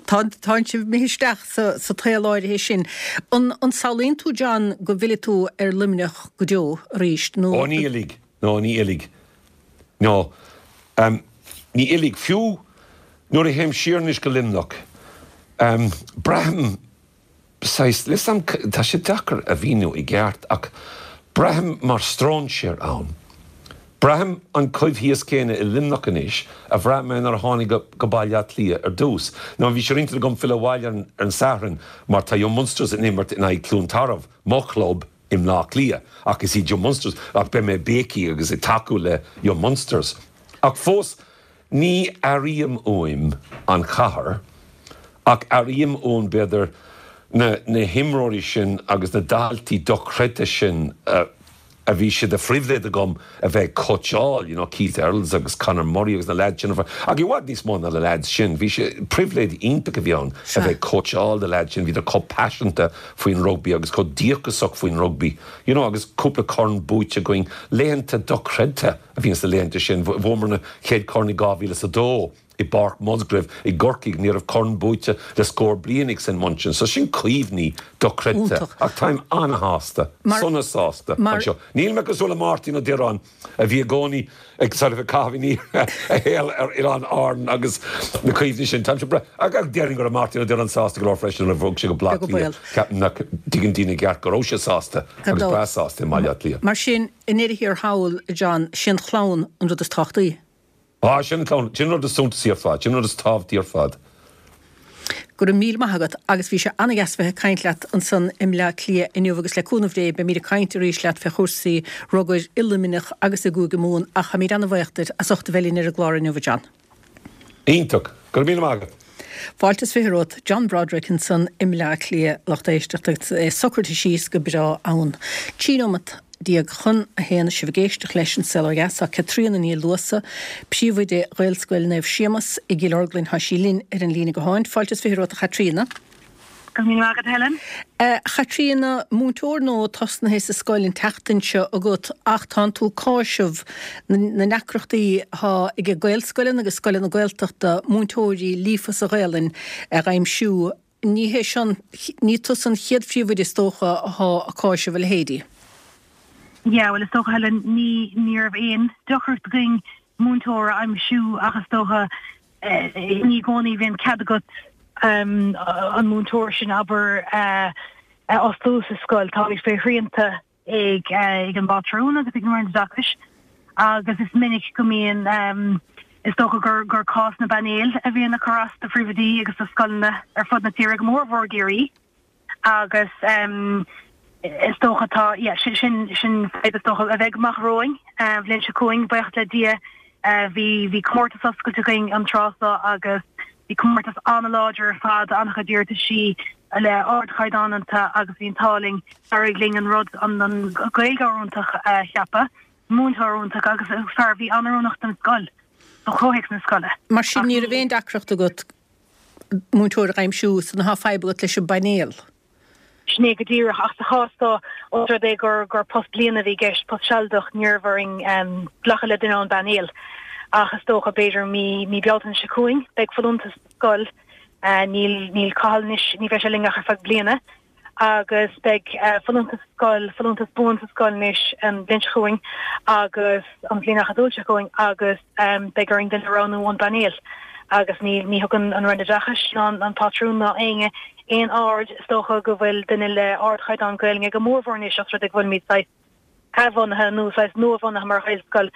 Tánn sibh imithe isteach sa tsaol áirithe sin. An samhlaíonn tú, John, go bhfillfidh tú ar Luimneach go deo arís nó? Ó ní fhillfidh. No, ní fhillfidh. No. Ní fhillfidh. Fiú nuair a théim siar anois go Luimneach, braithim saghas, níl 'fhios a'm, tá sé deacair a mhíniú i gceart ach braithim mar stróinséir ann. Braithim an coimhthíos céanna i Luimneach anois a bhraith mé nuair a tháinig go Baile Átha Cliath ar dtús. Now bhí sé ar intinn agam filleadh abhaile ar an Satharn mar tá Young Munsters in imirt in aghaidh Cluain Tarbh, mo chlub i mBleá Cliath, ach is iad Young Munsters, ach beidh mé ag béicíl agus ag tacú le Young Munsters. Ach fós Ní airím uaim an chathair, ach airím uaim, b'fhéidir, na na himreoirí sin agus na daltaí dochreidte sin a bhí sé de phribhléid agam a bheith ag cóitseáil, you know, Keith Earls agus Conor Murray agus na leaids sin ar fad, ach i bhfad níos mó ná na leaids sin. Bhí sé, pribhléid iontach a bhí ann a bheith ag cóitseáil na leaids sin, bhíodar chomh paiseanta faoin rugbaí agus chomh díocasach faoin rugbaí, you know, agus cúpla corn buaite againn, laethanta dochreidte. a bhí sna laethanta sin. Bhuamar an chéad chorn i 2002 i bPáirc Musgrave i gCorcaigh. Ní raibh corn buaite le scór bliain ag St Munchin. So sin cuimhní dochreidte. Ach táim an-shásta, sona sásta anseo. Níl mé cosúil le Máirtín Ó Direáin a bhí i gcónaí ag sort of ag caitheamh aniar a shaol ar Oileáin Árann agus na cuimhní sin. Táimse breá. Ach déarfainn go raibh Máirtín Ó Direáin sásta go leor freisin nuair a bhog sé go Baile Átha Cliath. Ceapaim nach dtuigeann daoine i gceart go raibh sé sásta agus breá sásta i mBaile Átha Cliath. Mar sin, I ndeireadh thiar thall, a John, sé an chlann an rud is tábhachtaí. Á, sin an chlann, sin an rud is suntasaí ar fad, sin an rud is tábhachtaí ar fad. Go raibh míle maith agat agus bhí sé an-dheas bheith ag caint leat ansan i mBleá Cliath inniu agus le cúnamh Dé beimíd ag caint arís leat fé chúrsaí rugair i Luimneach agus i gCúige Mumhan ach táimíd an-bhaoch duit as ucht a bheith linn ar an gclár inniu, a John. Iontach. Go raibh míle maith agat. Fáilte is 20 romhat, John Broderick ansan i mBleá Cliath, lucht éisteachta agus é socraithe síos go breá ann. 13 nóimeat chun a haon sibh ag éisteacht leis An Saol Ó Dheas. Tá Caitríona Ní Luasa, príomhoide Ghaelscoil Naomh Séamas i gCill Orglan, tá sí linn ar an líne gutháin. Fáilte is 20 romhat a Chaitríona. Go raibh míle maith agat, Helen. A Chaitríona, múinteoir nua tosnaithe sa scoil an tseachtain seo agat ach tánn tú ag cáiseamh na ndeacrachtaí atá ag Gaelscoileanna agus scoileanna Gaeltachta múinteoirí líofa sa Ghaelainn a dh'aimsiú. Ní hé seo, ní tusa an chéad phríomhoide is dócha athá ag cáiseamh a leithéidí. Yeah, bhuel is dócha Helen, ní, ní raibh aon deacracht againn múinteoir a aimsiú ach is dócha Ní i gcónaí a bhíonn cead agat an múinteoir sin, abair, a fhostú sa scoil. Táimid faoi shrianta ag an bpátrún agus ag an Roinn Oideachais agus is minic go mbíonn. Is dócha gur gur cás na bpainéal a bhíonn ag cur as do phríomhoidí agus do scoileanna ar fud na tíre, go mór mhór i gCiarraí. Agus is dócha tá, yeah, sin sin sin fadhb is dócha a bheidh amach romhainn an bhliain seo chugainn, buíochas le Dia. Bhí bhí comórtas oscailte againn an tráth seo agus bhí comórtas an-láidir ar fad, an-chuid iarrataisí le ardchaighdeán iontu agus bhí an t-ádh linn, d'éirigh linn an rud, an an Gaeilgeoir iontach a cheapadh, múinteoir iontach agus fear a bhí an-oiriúnach don scoil, do chomhthéacs na scoile. Mar sin ní raibh aon deacracht agat múinteoir a aimsiú so tá fadhb agat leis an bpainéal. Sin é go díreach, ach sa chás seo, ós rud é gur gur post bliana a bhí i gceist, post sealadach, ní raibh orainn glacadh le duine ón bpainéal. Ach is dócha, b'fhéidir mí mí Bealtaine seo chugainn, beidh folúntas sa scoil. Níl níl Cathal anois, ní bheidh sé linn ach ar feadh bliana. agus beidh folúntas sa scoil, folúntas buan sa scoil anois an bhliain seo chugainn agus an bhliain acadúil seo chugainn agus beidh orainn duine a roghnú ón bpainéal agus ní ní thugann an Roinn Oideachais ná an pátrún ná éinne aon aird is dócha go bhfuil duine le ardchaighdeán Gaelainne go mórmhór anois os rud é go bhfuilimid saghas athbhunaithe nó saghas nuabhunaithe mar Ghaelscoil.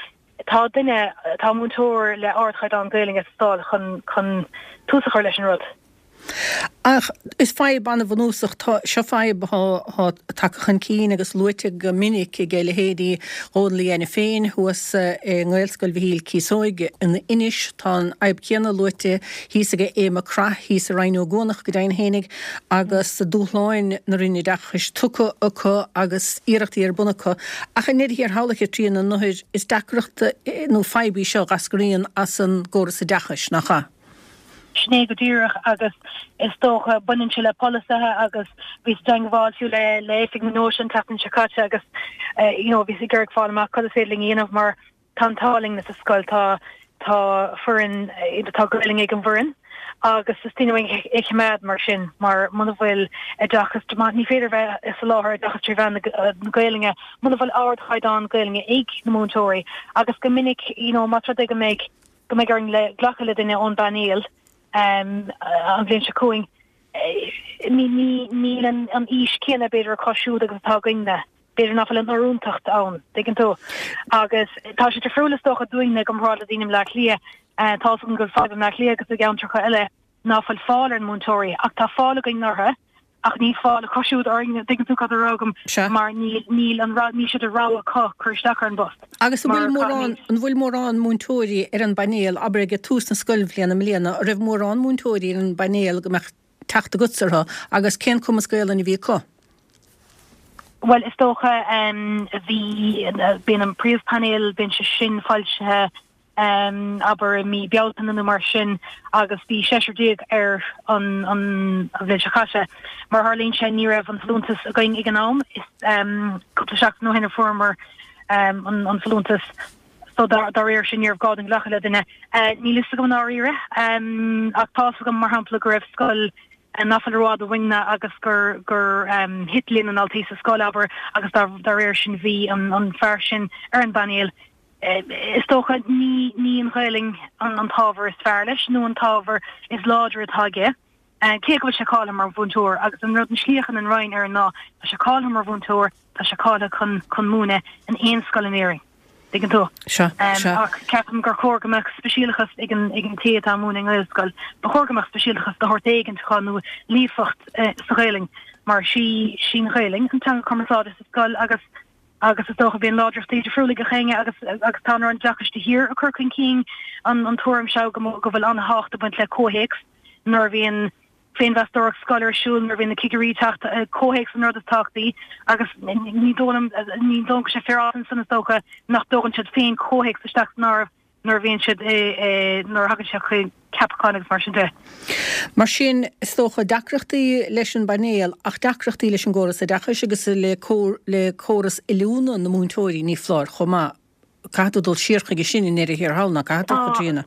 Tá duine, tá múinteoir le ardchaighdeán Gaelainne ag teastáil chun chun tús a chur leis an rud. Ach is fadhb an-bhunúsach, tá, seo fadhb atá tagtha chun cinn agus luaite go minic ag leithéidí Dhónal Uí Ainiféin féin thuas i nGaelscoil Mhichíl Cíosóig in Inis. Tá an fhadhb chéanna luaite thíos ag Aodh Mac Craith thíos i Rinn Ó gCuanach go deimhin fhéinig agus dúshláin na Roinne Oideachais tugtha acu agus iarrachtaí ar bun acu. Ach i ndeireadh thiar thall, a Chaitríona, is deacracht nó fadhb í seo a dh'eascraíonn as an gcóras oideachais, nach ea? Sin é go díreach agus is dócha baineann sé le polasaithe agus bhíos i dteangmháil fiú le le Oifig na Deoise an tseachtain seo caite agus you know bhíos ag iarraidh fáil amach cad is féidir linn a dhéanamh mar tá an t-ádh linn sa scoil tá tá foireann tá Gaelainn ag an bhfoireann agus is daoine é a choimeád mar sin mar muna bhfuil oideachas ní féidir bheith ag soláthar oideachas 3 mheán na Gaelainne muna bhfuil ardchaighdeán Gaelainne ag na múinteoirí agus go minic you know más rud é go mbeidh go mbeidh orainn le glacadh le duine ón bpainéal an bhliain seo chugainn. Níl an fhís chéanna b'fhéidir acu siúd agus atá againne. B'fhéidir nach bhfuil an oiriúntacht ann, tuigeann tú. Agus tá sé difriúil is dócha dúinne i gcomparáid le daoine i mBleá Cliath. Tá fhios agam go bhfuil fadhb i mBleá Cliath agus i gceantracha eile ná fuil fáil ar na múinteoirí ach tá fáil againn orthu. Ach níl fáil acu siúd orainn, tuigeann tú cad a rá agam, Sea. mar níl, níl an rogha, níl sé de rogha acu cur isteach ar an bpost. Agus an Mar bhfuil mórán, caithfimid. an bhfuil mórán múinteoirí ar an bpainéal, abair ag tús na scoilbhliana i mbliana, an raibh mórán múinteoirí ar an bpainéal go mbeadh teacht agatsa orthu agus cén cumas Gaelainne a bhí acu? Bhuel, is dócha, bhí, bíonn an príomhphainéal, bíonn sé sin foilsithe abair i mí Bealtaine nó mar sin agus bhí 16 air an an bhliain seo caite. Mar a tharlaíonn sé ní raibh an folúntas againn ag an am, is cúpla seachtain ó shin a fuaireamar an an folúntas so dá dá réir sin ní raibh gá dúinn glacadh le duine. Níl fhios agam i ndáiríre ach tá fhios agam mar shampla go raibh scoil nach bhfuil rófhada uainne agus gur gur thit líon na ndaltaí sa scoil abair agus dá dá réir sin bhí an an fear sin ar an bpainéal. Is dócha, ní ní an Ghaelainn an t-ábhar is fearr leis nó an t-ábhar is láidre atá aige, cé go bhfuil sé cáilithe mar mhúinteoir. Agus an rud, an slí a fhéachann an Roinn air ná, tá sé cáilithe mar mhúinteoir, tá sé cáilithe chun chun múineadh in aon scoil in Éirinn. Tuigeann tú? Sea, sea. Ach ceapaim gur chóir go mbeadh speisialachas ag an ag an té atá ag múineadh i nGaelscoil. Ba chóir go mbeadh speisialachas de shórt éigin acu nó líofacht sa Ghaelainn mar sí sí an Ghaelainn an teanga cumarsáide sa scoil agus Agus is dócha bíonn láidreachtaí difriúla ag gach éinne agus agus tá an Roinn Oideachais de shíor ag cur chun cinn an an tuairim seo go go bhfuil an-thábhacht ag baint le comhthéacs nuair a bhíonn féinmheastóireacht scoile ar siúl, nuair a bhíonn na cigirí ag teacht, comhthéacs an rud is tábhachtaí agus ní dóigh liom ní dóigh liom go bhfuil sé féaráilte ansan is dócha nach dtógann siad féin comhthéacs isteach san áireamh. nuair a bhíonn siad i, nuair a thagann sé chuig ceapacháin agus mar sin de. Mar sin, is dócha, deacrachtaí leis an bpainéal ach deacrachtaí leis an gcóras oideachais agus le le córas oiliúna na múinteoirí, ní foláir, chomh maith. Caithfidh tú dul siar chuige sin i ndeireadh thiar thall, ná caithfidh tú, a Chaitríona?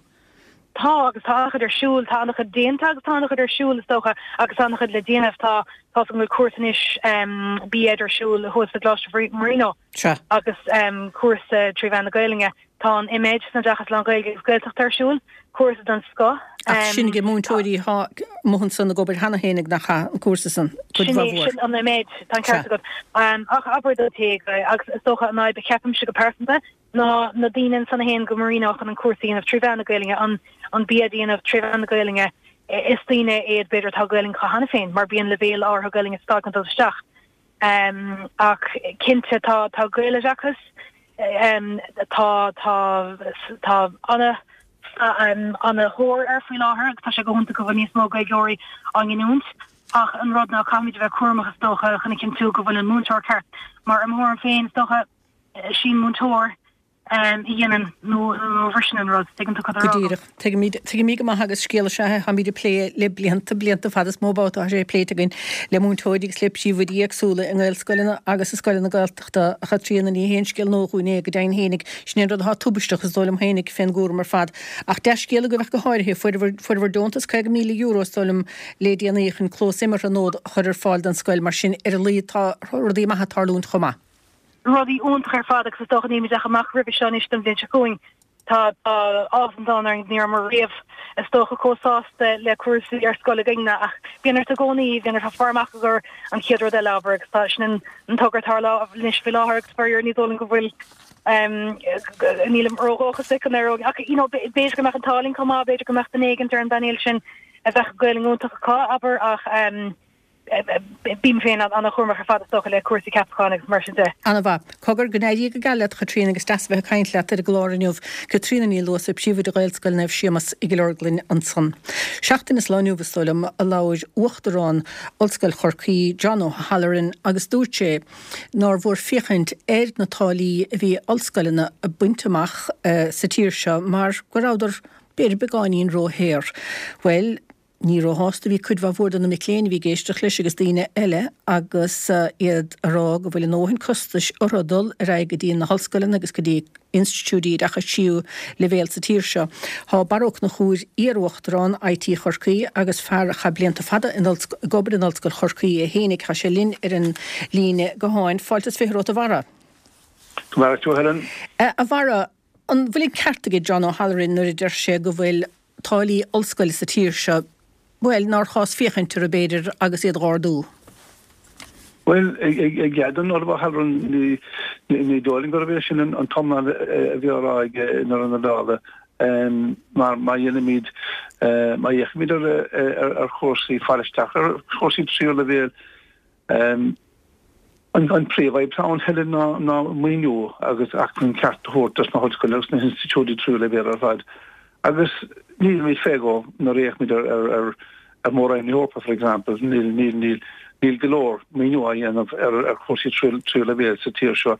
Tá, agus tá an-chuid ar siúl, tá an-chuid déanta agus tá an-chuid ar siúl, is dócha, agus tá an-chuid le déanamh. Tá, tá's agam go bhfuil cúrsa anois B.Ed ar siúl thuas i gColáiste Marino Sea. agus cúrsa trí mheán na Gaelainne. Tá an IMED san Oideachas Lán-Ghaeilge agus Gaeltachta ar siúl, cúrsa den scoth. Ach sin ag múinteoirí atá amuigh ansan ag obair cheana féin nach chaith an cúrsa san, cuid Sin é, sin an IMED, tá an ceart agat. Ach abair don té, agus is dócha an fhadhb a cheapaimse go pearsanta, ná na daoine ansan a théann go Marino chun an cúrsa a dhéanamh tré mheán na Gaelainne, an an BEd a dhéanamh tré mheán na Gaelainne, is daoine iad b'fhéidir atá Gaelainn acu cheana féin mar bíonn leibhéal áirithe Gaelainne ag teastáil chun dul isteach. Ach cinnte tá tá Gaeloideachas, tá tá tá ana ana thóir air faoi láthair agus tá sé go hiontach go bhfuil níos mó Gaeilgeoirí á nginiúint. Ach an rud ná caithfimid a bheith cúramach is dócha chun a chinntiú go bhfuil an múinteoir ceart mar i mo thuairim féin is dócha sí an múinteoir a dhéanann nó a bhriseann an rud. Tuigeann tú cad tá á rá Go agam? díreach. Tuigimid, tuigimid go maith agus scéal is ea é táimid ag plé le blianta, blianta fada is mó babhta tá sé pléite againn le múinteoirí agus le príomhoidí éagsúla i nGaelscoileanna agus i scoileanna Gaeltachta. A Chaitríona, ní haon scéal nua dhúinn é, go deimhin fhéinig. Sin é an rud atá tubaisteach is dóigh liom fhéinig fén gcúram ar fad. Ach dea-scéal agaibh ach go háirithe, fuaireabhair, fuaireabhair deontas €50,000 is dóigh liom le déanaí chun clós imeartha nua a chur ar fáil don scoil, mar sin ar a laghad tá rudaí maithe ag tarlúint chomh maith. Rudaí iontach ar fad agus is dócha nílimid ach amach roimhe seo anois don bhliain seo chugainn. Tá áthas an domhain orainn, ní rabhamar riamh is dócha chomh sásta le cúrsaí ar scoil againne ach bíonn ort i gcónaí, bíonn ort faire amach i gcomhair an chéad rud eile abair agus tá sin an togra atá ar láimh anois faoi láthair agus faraor ní dóigh liom go bhfuil nílim ródhóchasach go n-éireoidh ach you know b'fhéidir go mbeadh an t-ádh linn chomh maith, b'fhéidir go mbeadh duine éigint ar an bpainéal sin a bheadh Gaelainn iontach acu abair ach Bím féin an-chúramach ar fad is dócha le cúrsaí ceapacháin agus mar sin de. Ana-mhaith. Cogar, go n-éirí go geal leat, a Chaitríona, agus deas a bheith ag caint leat ar an gclár inniu. Caitríona Ní Luasa, Príomhoide Ghaelscoil Naomh Séamas i gCill Orglan ansan. Seachtain is lá inniu, is dóigh liom, a labhair Uachtarán Ollscoil Chorcaí, John O'Halloran, agus dúirt sé nár mhór féachaint ar na táillí a bhí ollscoileanna ag baint amach sa tír seo mar go rabhadar, b'fhéidir, beagáinín róshaor. Bhuel, Ní róshásta a bhí cuid mhaith mhór de na mic léinn a bhí ag éisteacht leis agus daoine eile agus iad ag rá go bhfuil a ndóthain costais orthu dul ar aghaidh go dtí na hollscoileanna agus go dtí institiúidí oideachais tríú leibhéal sa tír seo. Tá Barra Ó Conchúir, iar-uachtarán IT Chorcaí agus fear a chaith blianta fada ag obair in Ollscoil Chorcaí é fhéinig, tá sé linn ar an líne gutháin. Fáilte is 20 romhat a Bharra. Go maire tú a Helen. A Bharra, an bhfuil an ceart aige John O'Halloran nuair a deir sé go bhfuil táillí ollscoile sa tír seo, bhuel, nár chás féachaint orthu, b'fhéidir, agus iad dh'ardú. Bhuel, i gcead don Ollamh O'Halloran, ní dóigh liom gurb é sin an t-iomlán a bhí á rá aige i ndeireadh na dála, mar má dhéanaimid, má fhéachaimid ar chúrsaí fáil isteach ar chúrsaí tríú leibhéal, An príomhfhadhb atá ann, Helen, ná maoiniú agus acmhainn ceart a thabhairt dos na hollscoileanna agus na hinstitiúidí tríú leibhéal ar fad. Agus nílimid fé dhó nuair a fhéachaimid ar ar Mhór-Roinn na hEorpa, for example, níl níl níl go leor maoiniú á dhéanamh ar chúrsaí tríú leibhéal sa tír seo.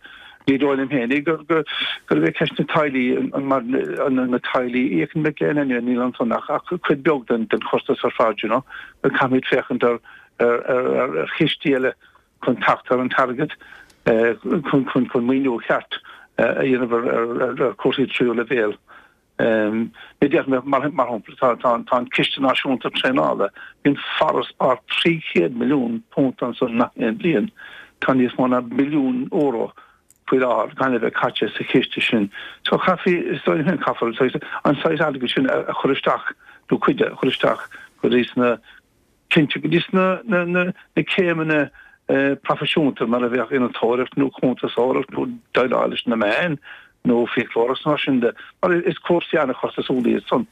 Ní dóigh liom féin gur gurb é ceist na táillí mar na táillí a íocann mic léinn anyway, níl ansan ach cuid beag den chostas ar fad, you know. Caithfimid féachaint ar ar chistí eile chun teacht ar an t-airgead chun maoiniú ceart a dhéanamh ar chúrsaí tríú leibhéal. Ní déarfaidh mé, mar shampla, tá an Ciste Náisiúnta Traenála, bíonn farasbarr £300 milliún ansan gach aon bhliain. Tá níos mó ná billiún euro faoi láthair gan a bheith caite sa chiste sin. So chaithfí, is dóigh liom féin, caithfear an saghas airgid sin a chur isteach, nó cuid de a chur isteach go dtí sna Cinnte, go dtí sna céimeanna proifisiúnta mar a bheadh innealtóireacht nó cuntasóireacht nó déileáil leis na meáin nó fiaclóireacht mar sin de, mar is cúrsaí an-chostasúla iad san.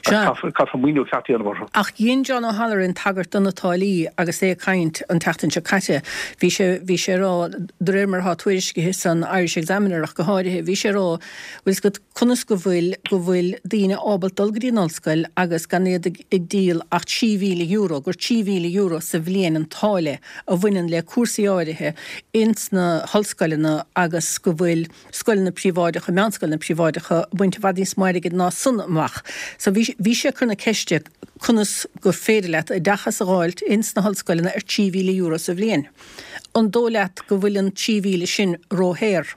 Sea. Caithfear maoiniú ceart a dhéanamh orthu. Ach dhein John O'Halloran tagairt do na táillí agus é ag caint an tseachtain seo caite. Bhí sé, bhí sé ag rá, de réir mar atá tuairiscithe san Irish Examiner ach go háirithe, bhí sé ag rá, bhfuil 's agat, conas go bhfuil, go bhfuil daoine ábalta dul go dtí an ollscoil agus gan iad ag, ag díol ach €3,000, gur €3,000 sa bhliain an táille a bhaineann le cúrsaí áirithe ins na hollscoileanna agus go bhfuil scoileanna príobháideacha, meánscoileanna príobháideacha ag baint i bhfad níos mó airgid ná san amach. So bhí, bhí sé ag cur na ceiste conas gur féidir leat oideachas a dh'fháilt ins na hollscoileanna ar €3,000 sa bhliain. An dóigh leat go bhfuil an 3,000 sin róshaor?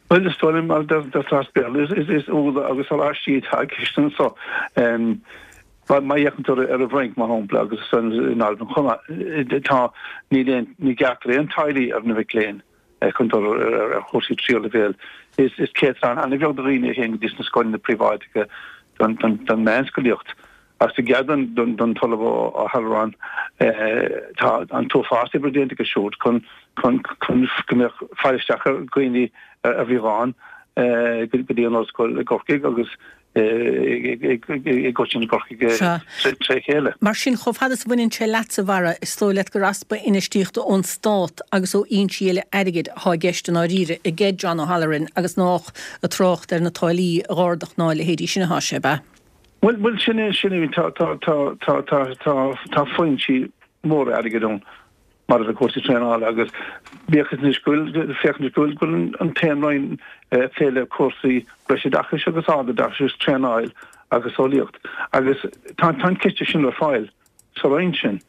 Bhuel, is dóigh liom, mar a deirtear as Béarla, is úlla agus oráistí atá i gceist anso. Má fhéachann tú ar an bhFrainc, mar shampla, agus in Albain chomh maith, tá, níl aon, ní ghearrtar aon táillí ar na mic léinn. Chun dul ar chúrsaí tríú leibhéal. Is céatadán an-bheag de dhaoine a théann go dtí sna scoileanna príobháideacha don mheánscolaíocht. Agus i gcead don tOllamh O'Halloran, tá an t-uafás oibre déanta aige siúd chun go mbeadh fáil isteach ar dhaoine a bhí ann go dtí an ollscoil i gCorcaigh agus i gcoitinne i gCorcaigh tré chéile. Mar sin, chomh fada is a bhaineann sé leatsa, a Bharra, is dóigh leat gur easpa infheistíochta ón stát agus ó fhoinsí eile airgid atá i gceist i ndáiríre ag John O'Halloran agus nách ag trácht ar na táillí a dh'ardach ná a leithéidí sin atá sé, ab ea? Bhuel, bhuel, sin é, sin é, tá, tá, tá, tá, tá, tá, tá foinsí móra airgid ann. maidir le cúrsaí traenála agus bíodh is anois go bhfuil, féach anois go bhfuil, go bhfuil an t-aon roinn ag plé le cúrsaí breisoideachais agus ardoideachais agus traenáil agus eolaíocht agus tá, tá an ciste sin le fáil sa roinn sin.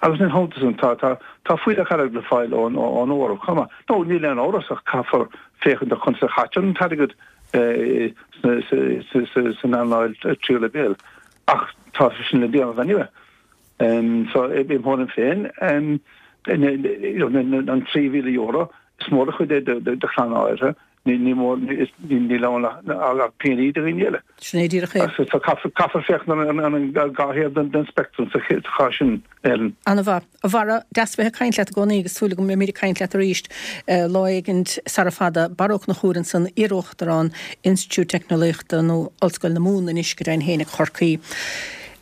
Agus ina theannta sin tá, tá, tá fuílleach airgid le fáil ón, ón Eoraip chomh maith. Nó níl aon amhras ach caithfear féachaint ar conas a chaitear an t-airgead sna, sa, sa, sa, san earnáil tríú leibhéal ach tá sé sin le déanamh anyway. So, i mo thuairim féin, an €3,000, is mór an chuid é do chlann áirithe, ní mór, níl ann ach peannaí do dhaoine eile. Sin é díreach é. So caithfear féachaint ar an dhá thaobh den speictream sa chás sin, Helen. Ana-mhaith. A Bharra, deas bheith ag caint leat i gcónaí agus súil agam go mbeimid ag caint leat arís lá éigin sara fada. Barra Ó Conchúir ansan, iar-Uachtarán Institiúid Teicneolaíochta nó Ollscoil na Mumhan anois go deimhin féin i gCorcaigh.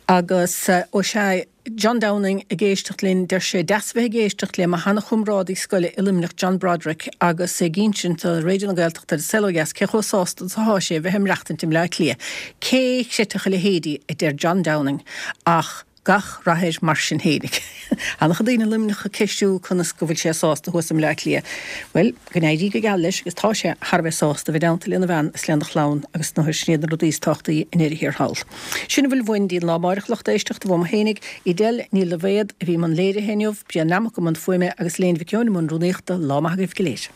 Agus, ó sea, John Downing ag éisteacht linn, deir sé, deas a bheith ag éisteacht le mo sheana-chomrádaí scoile i Luimneach, John Broderick, agus é ag insint do Raidió na Gaeltachta ar An Saol Ó Dheas cé chomh sásta is atá sé a bheith ag maireachtaint i mBleá Cliath. Cé chreidfeadh a leithéidí, a deir John Downing, ach gach rath air mar sin fhéinig. An-chuid daoine i Luimneach ag ceistiú conas go bhfuil sé sásta thuas i mBleá Cliath. Bhuel, Go n-éirí go geal leis agus tá sé thar a bheith sásta a bheith i dteannta lena bhean is lena chlann agus is ndóigh sin iad na rudaí is tábhachtaí i ndeireadh thiar thall. Sin a bhfuil uainn go dtí an lá amáireach lucht éisteachta uaim fhéinig, Edel Ní Loibhéad a bhí i mbun léirithe inniu, Brian Lammock i mbun fuaime agus Léan Mhic Eoin i mbun rúnaíochta. Lá maith agaibh go léir.